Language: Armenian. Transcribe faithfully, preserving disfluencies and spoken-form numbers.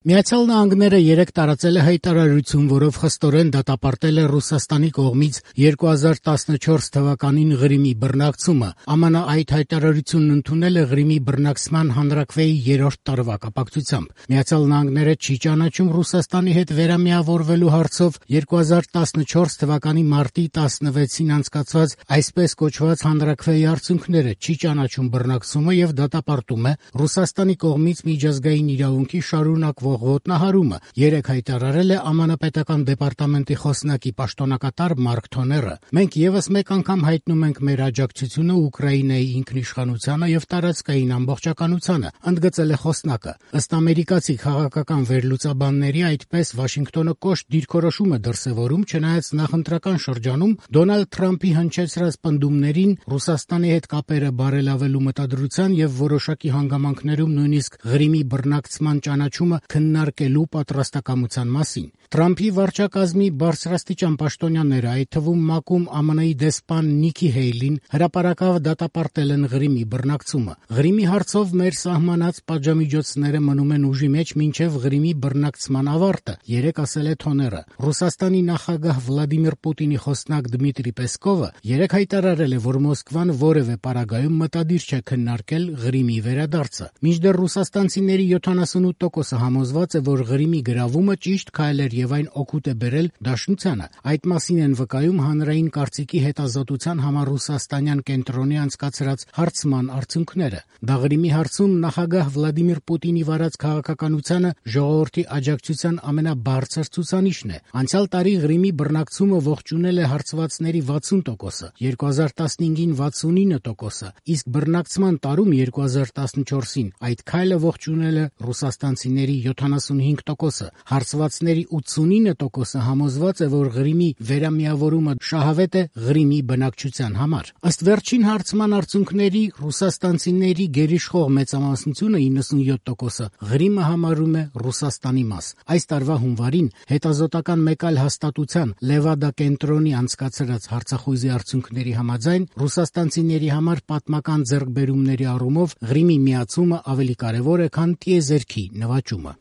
Միացյալ Նահանգները երեկ տարածել է հայտարարություն, որով խստորեն դատապարտել է Ռուսաստանի կողմից երկու հազար տասնչորս թվականին Ղրիմի բռնակցումը։ ԱՄՆ այդ հայտարարությունն ընդունել է Ղրիմի բռնակցման հանրաքվեի երրորդ տարվա կապակցությամբ։ Միացյալ Նահանգները չի ճանաչում Ռուսաստանի հետ վերամիավորվելու հարցով երկու հազար տասնչորս թվականի մարտի տասնվեցին անցկացված այսպես կոչված հանրաքվեի արդյունքները, չի ճանաչում բռնակցումը եւ դատապարտում է Ռուսաստանի կողմից միջազգային իրավունքի շարունակվող ոտնահարումը, երեկ հայտարարել է ԱՄՆ պետական դեպարտամենտի խոսնակի պաշտոնակատար Մարկ Թոները։ Մենք եւս մեկ անգամ հայտնում ենք մեր աջակցությունը Ուկրաինայի ինքնիշխանությանը եւ տարածքային ամբողջականությանը, ընդգծել է խոսնակը։ Ըստ ամերիկացի քաղաքական վերլուծաբանների, այդպես Վաշինգտոնը կոշտ դիրքորոշում է դրսեւորում, չնայած նախընտրական շրջանում Դոնալդ Թրամփի հնչեցրած պնդումներին Ռուսաստանի հետ կապերը բարելավելու մտադրության եւ որոշակի հանգամանքներում նույնիսկ Ղրիմի բռնակցման ճանաչումը քննարկելու պատրաստակամության մասին։ Թրամփի վարչակազմի բարձրաստիճան պաշտոնյաները, այդ թվում ՄԱԿ-ում ԱՄՆ-ի դեսպան Նիքի Հեյլին, հրապարակավ դատապարտել են Ղրիմի բռնակցումը։ Ղրիմի հարցով մեր սահմանած պատժամիջոցները մնում են ուժի մեջ մինչև Ղրիմի բռնակցման ավարտը, երեկ ասել է Թոները։ Ռուսաստանի նախագահ Վլադիմիր Պուտինի խոսնակ Դմիտրի Պեսկովը երեկ հայտարարել է, որ Մոսկվան որևէ պարագայում մտադիր չէ քննարկել Ղրիմի վերադարձը։ Մինչդեռ ռուսաստանցիների յոթանասունութ տոկոսը համոզված է, որ Ղրիմի գրավումը ճիշտ քայլ էր եւ այն օգուտ է բերել Դաշնությանը։ Այդ մասին են վկայում հանրային կարծիքի հետազոտության համար ռուսաստանյան կենտրոնի անցկացրած հարցման արդյունքները։ Դա Ղրիմի հարցում նախագահ Վլադիմիր Պուտինի վարած քաղաքականությանը ժողովրդի աջակցության ամենաբարձր ցուցանիշն է։ Անցյալ տարի Ղրիմի բռնակցումը ողջունել է հարցվածների վաթսուն տոկոսը, երկու հազար տասնհինգին վաթսունինը տոկոսը, իսկ բռնակցման տարում երկու հազար տասնչորսին այդ քայլը ողջունել է ռուսաստանցիների յոթանասունհինգ տոկոսը, հարցվածների ութսունինը տոկոսը համոզված է, որ Ղրիմի վերամիավորումը շահավետ է Ղրիմի բնակչության համար։ Ըստ վերջին հարցման արդյունքների, ռուսաստանցիների գերիշխող մեծամասնությունը իննսունյոթ տոկոսը Ղրիմը համարում է Ռուսաստանի մաս։ Այս տարվա հունվարին հետազոտական մեկ այլ հաստատության Լևադա կենտրոնի անցկացրած հարցախույզի արդյունքների համաձայն ռուսաստանցիների համար պատմական ձեռքբերումների առումով Ղրիմի միացումը ավելի կարևոր է, քան տիեզերքի նվաճումը։